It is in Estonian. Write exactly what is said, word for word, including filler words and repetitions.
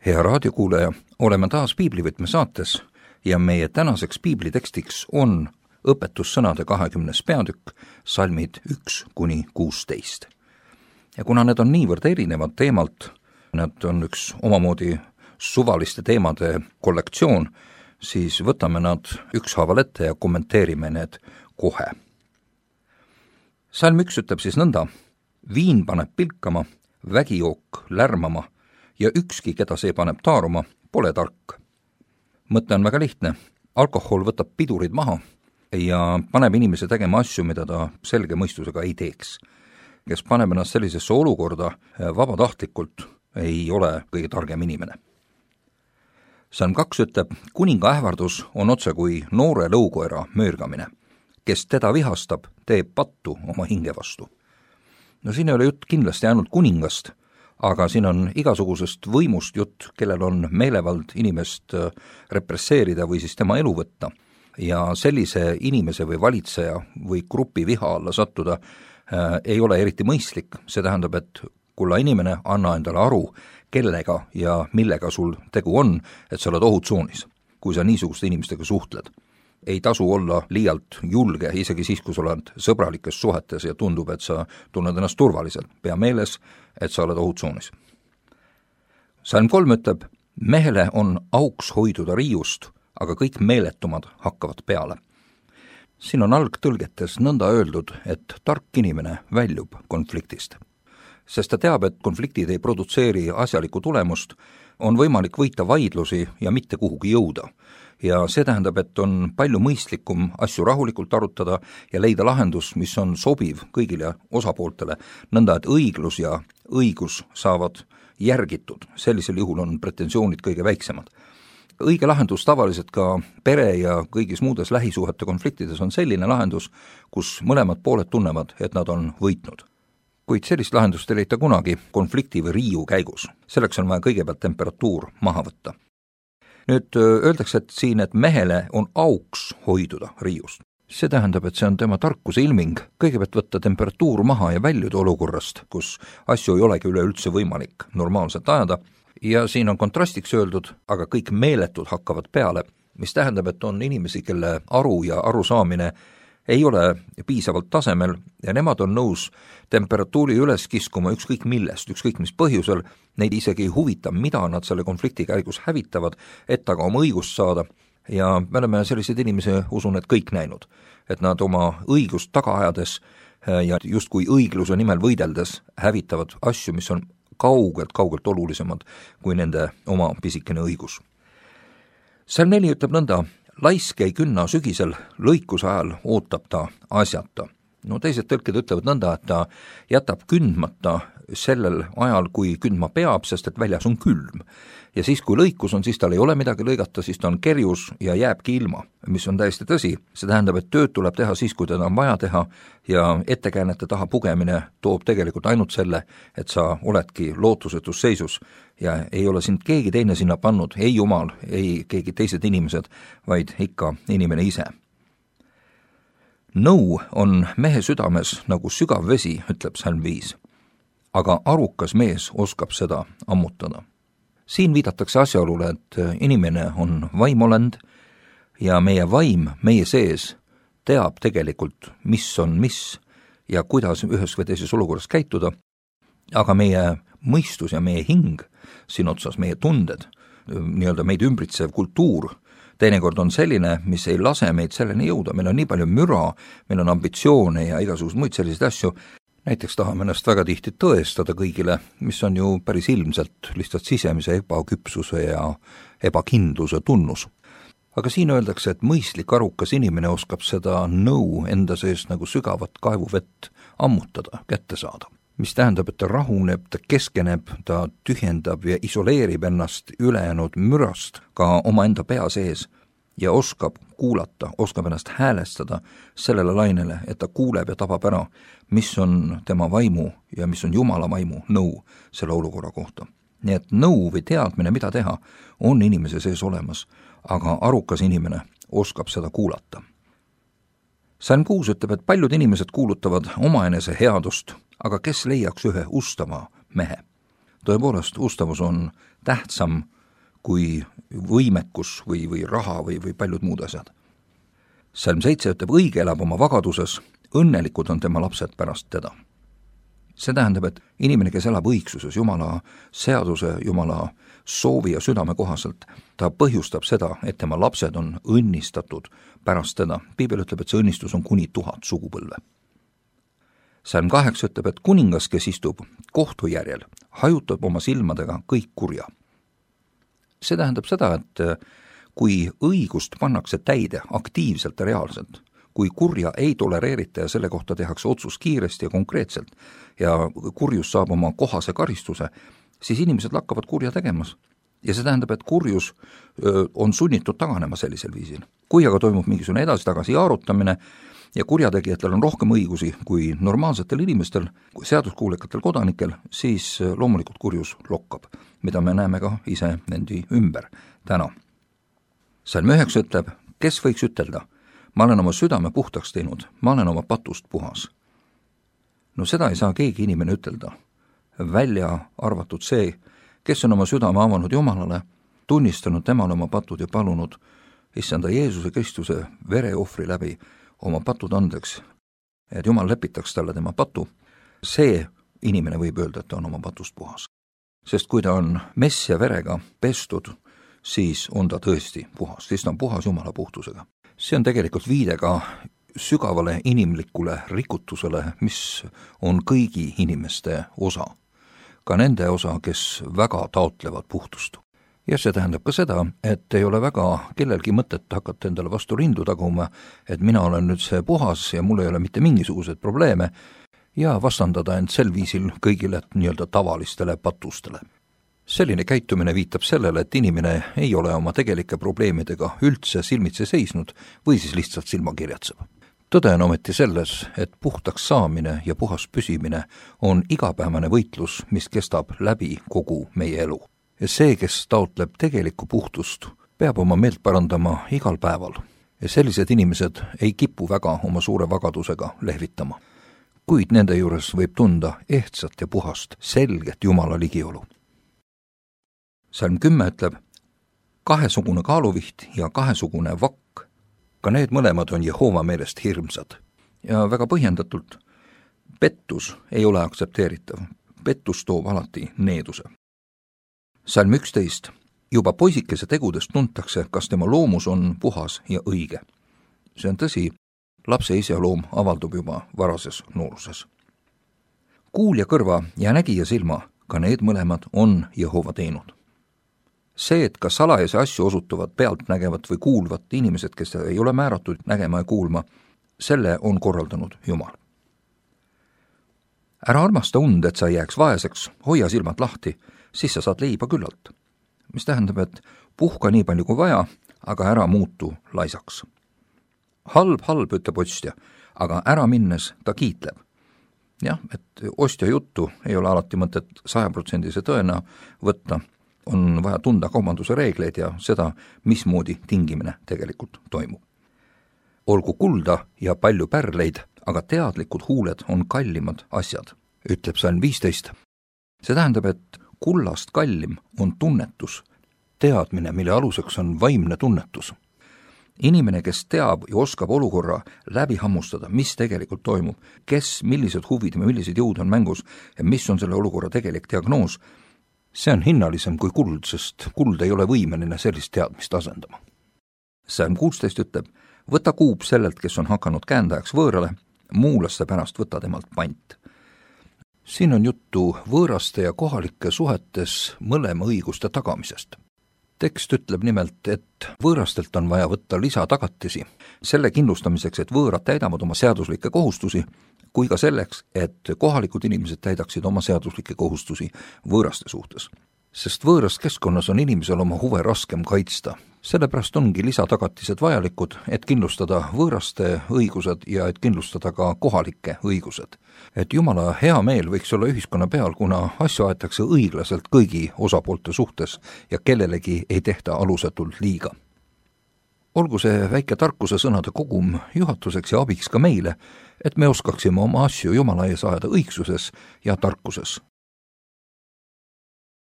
Hea raadiokuulaja, oleme taas Piiblivõtme saates ja meie tänaseks piiblitekstiks on õpetussõnade kahekümnes peatükk, salmid üks kuni kuusteist. Ja kuna need on niivõrd erinevad teemalt, need on üks omamoodi suvaliste teemade kollektsioon, siis võtame nad ükshaaval ette ja kommenteerime need kohe. Salm üks ütleb siis nõnda: viin paneb pilkama, vägijook lärmama ja ükski, keda see paneb taaruma, pole tark. Mõte on väga lihtne. Alkohol võtab pidurid maha ja paneb inimese tegema asju, mida ta selge mõistusega ei teeks. Kes paneb ennast sellisesse olukorda vabatahtlikult, ei ole kõige targem inimene. Salm kaks ütleb: kuninga ähvardus on otse kui noore lõukoera möörgamine. Kes teda vihastab, teeb pattu oma hinge vastu. No siin ei ole jutt kindlasti ainult kuningast, aga siin on igasugusest võimust jutt, kellel on meelevald inimest represseerida või siis tema elu võtta. Ja sellise inimese või valitseja või grupi viha alla sattuda äh, ei ole eriti mõistlik. See tähendab, et kulla inimene, anna endale aru, kellega ja millega sul tegu on, et sa oled ohutsoonis, kui sa niisuguste inimestega suhtled. Ei tasu olla liialt julge, isegi siis, kui sa oled sõbralikes suhetes ja tundub, et sa tunned ennast turvaliselt. Pea meeles, et sa oled ohutsoonis. Salm kolm ütleb: mehele on auks hoiduda riiust, aga kõik meeletumad hakkavad peale. Siin on algtõlgetes nõnda öeldud, et tark inimene väljub konfliktist. Sest ta teab, et konfliktid ei produtseeri asjalikku tulemust, on võimalik võita vaidlusi ja mitte kuhugi jõuda. Ja see tähendab, et on palju mõistlikum asju rahulikult arutada ja leida lahendus, mis on sobiv kõigile osapooltele, nõnda et õiglus ja õigus saavad järgitud. Sellisel juhul on pretensioonid kõige väiksemad. Õige lahendus tavaliselt ka pere ja kõigis muudes lähisuhete konfliktides on selline lahendus, kus mõlemad pooled tunnevad, et nad on võitnud. Kuid sellist lahendust ei leita kunagi konflikti või riiu käigus. Selleks on vaja kõigepealt temperatuur maha võtta. Nüüd öeldakse, et siin, et mehele on auks hoiduda riiust. See tähendab, et see on tema tarkuse ilming. Kõigepealt võtta temperatuur maha ja väljuda olukorrast, kus asju ei olegi üleüldse võimalik normaalselt ajada. Ja siin on kontrastiks öeldud, aga kõik meeletud hakkavad peale, mis tähendab, et on inimesi, kelle aru ja arusaamine ei ole piisavalt tasemel ja nemad on nõus temperatuuri üles kiskuma ükskõik millest, ükskõik mis põhjusel, neid isegi ei huvita, mida nad selle konflikti käigus hävitavad, et aga oma õigust saada. Ja me oleme selliseid inimesi, usun, et kõik näinud, et nad oma õigust taga ajades ja justkui õigluse nimel võideldes hävitavad asju, mis on kaugelt, kaugelt olulisemad kui nende oma pisikene õigus. Salm neli ütleb nõnda: laisk ei künna sügisel, lõikuse ajal ootab ta asjata. No teised tõlked ütlevad nõnda, et ta jätab kündmata sellel ajal, kui kündma peab, sest et väljas on külm. Ja siis, kui lõikus on, siis tal ei ole midagi lõigata, siis ta on kerjus ja jääbki ilma, mis on täiesti tõsi. See tähendab, et tööd tuleb teha siis, kui teda on vaja teha ja ettekäänete taha pugemine toob tegelikult ainult selle, et sa oledki lootusetus seisus ja ei ole sind keegi teine sinna pannud, ei jumal, ei keegi teised inimesed, vaid ikka inimene ise. Nõu on mehe südames nagu sügav vesi, ütleb Salm viis, aga arukas mees oskab seda ammutada. Siin viidatakse asjaolule, et inimene on vaimolend ja meie vaim meie sees teab tegelikult, mis on mis ja kuidas ühes või teises olukorras käituda, aga meie mõistus ja meie hing, siin otsas meie tunded, nii-öelda meid ümbritsev kultuur, teinekord on selline, mis ei lase meid selleni jõuda. Meil on nii palju müra, meil on ambitsioone ja igasugused muid selliseid asju. Näiteks tahame ennast väga tihti tõestada kõigile, mis on ju päris ilmselt lihtsalt sisemise ebaküpsuse ja ebakindluse tunnus. Aga siin öeldakse, et mõistlik arukas inimene oskab seda nõu enda sees nagu sügavat kaevuvett ammutada, kätte saada. Mis tähendab, et ta rahuneb, ta keskeneb, ta tühjendab ja isoleerib ennast ülejäänud mürast ka oma enda pea sees ja oskab kuulata, oskab ennast häälestada sellele lainele, et ta kuuleb ja tabab ära, mis on tema vaimu ja mis on Jumala vaimu nõu selle olukorra kohta. Nii et nõu või teadmine, mida teha, on inimese sees olemas, aga arukas inimene oskab seda kuulata. Salm kuus ütleb, et paljud inimesed kuulutavad omaenese headust, aga kes leiaks ühe ustava mehe? Tõepoolest, ustavus on tähtsam kui võimekus või, või raha või, või paljud muud asjad. Salm seitse ütleb, õige elab oma vagaduses, õnnelikud on tema lapsed pärast teda. See tähendab, et inimene, kes elab õigsuses, Jumala seaduse, Jumala soovi ja südame kohaselt, ta põhjustab seda, et tema lapsed on õnnistatud pärast teda. Piibel ütleb, et see õnnistus on kuni tuhat sugupõlve. Salm kaheksa ütleb, et kuningas, kes istub kohtu järjel, hajutab oma silmadega kõik kurja. See tähendab seda, et kui õigust pannakse täide aktiivselt ja reaalselt, kui kurja ei tolereerita ja selle kohta tehakse otsus kiiresti ja konkreetselt ja kurjus saab oma kohase karistuse, siis inimesed lakkavad kurja tegemas. Ja see tähendab, et kurjus öö, on sunnitud taganema sellisel viisil. Kui aga toimub mingisugune edasi-tagasi jaarutamine ja kurjategijatel on rohkem õigusi kui normaalsetel inimestel, kui seaduskuulekatel kodanikel, siis loomulikult kurjus lokkab, mida me näeme ka ise endi ümber täna. Salm üheksa ütleb, kes võiks ütelda, ma olen oma südame puhtaks teinud, ma olen oma patust puhas. No seda ei saa keegi inimene ütelda, välja arvatud see, kes on oma südame avanud Jumalale, tunnistanud temale oma patud ja palunud issanda Jeesuse Kristuse vereohvri läbi oma patud andeks, et Jumal lepitaks talle tema patu, see inimene võib öelda, et ta on oma patust puhas. Sest kui ta on mess ja verega pestud, siis on ta tõesti puhas, siis ta on puhas Jumala puhtusega. See on tegelikult viide ka sügavale inimlikule rikutusele, mis on kõigi inimeste osa. Ka nende osa, kes väga taotlevad puhtust. Ja see tähendab ka seda, et ei ole väga kellelgi mõtet hakata endale vastu rindu taguma, et mina olen nüüd see puhas ja mul ei ole mitte mingisuguseid probleeme ja vastandada end sel viisil kõigile nii-öelda tavalistele patustele. Selline käitumine viitab sellele, et inimene ei ole oma tegelike probleemidega üldse silmitse seisnud või siis lihtsalt silma kirjatseb. Tõde on ometi selles, et puhtaks saamine ja puhas püsimine on igapäevane võitlus, mis kestab läbi kogu meie elu. Ja see, kes taotleb tegelikku puhtust, peab oma meelt parandama igal päeval. Ja sellised inimesed ei kipu väga oma suure vagadusega lehvitama. Kuid nende juures võib tunda ehtsat ja puhast, selget Jumala ligiolu. Salm kümme ütleb, kahesugune kaaluviht ja kahesugune vakk, ka need mõlemad on Jehova meelest hirmsad. Ja väga põhjendatult, pettus ei ole aktsepteeritav. Pettus toob alati needuse. Salm üksteist. Juba poisikese tegudest tuntakse, kas tema loomus on puhas ja õige. See on tõsi, lapse iseloom avaldub juba varases nooruses. Kuul ja kõrva ja nägija silma, ka need mõlemad on Jehova teinud. See, et kas salajase asju osutuvad pealtnägevat või kuulvat inimesed, kes ei ole määratud nägema ja kuulma, selle on korraldanud Jumal. Ära armasta und, et sa jääks vaeseks, hoia silmad lahti, siis sa saad leiba küllalt. Mis tähendab, et puhka nii palju kui vaja, aga ära muutu laisaks. Halb, halb, ütleb ostja, aga ära minnes ta kiitleb. Jah, et ostja juttu ei ole alati mõtet sajaprotsendise tõena võtta, on vaja tunda kaubanduse reegleid ja seda, mismoodi tingimine tegelikult toimub. Olgu kulda ja palju pärleid, aga teadlikud huuled on kallimad asjad, ütleb Salm viisteist. See tähendab, et kullast kallim on tunnetus, teadmine, mille aluseks on vaimne tunnetus. Inimene, kes teab ja oskab olukorra läbi hammustada, mis tegelikult toimub, kes, millised huvid ja millised jõud on mängus ja mis on selle olukorra tegelik diagnoos, see on hinnalisem kui kuld, sest kuld ei ole võimeline sellist teadmist asendama. Salm kuusteist ütleb, võta kuub sellelt, kes on hakanud käendajaks võõrale, muulaste pärast võta temalt pant. Siin on juttu võõraste ja kohalike suhetes mõlema õiguste tagamisest. Tekst ütleb nimelt, et võõrastelt on vaja võtta lisatagatisi, selle kindlustamiseks, et võõrad täidavad oma seaduslikke kohustusi, kui ka selleks, et kohalikud inimesed täidaksid oma seaduslikke kohustusi võõraste suhtes. Sest võõras keskkonnas on inimesel oma huve raskem kaitsta. Sellepärast ongi lisatagatised vajalikud, et kindlustada võõraste õigused ja et kindlustada ka kohalike õigused. Et Jumala hea meel võiks olla ühiskonna peal, kuna asju aetakse õiglaselt kõigi osapoolte suhtes ja kellelegi ei tehta alusetult liiga. Olgu see väike tarkuse sõnade kogum juhatuseks ja abiks ka meile, et me oskaksime oma asju Jumala ees ajada õigsuses ja tarkuses.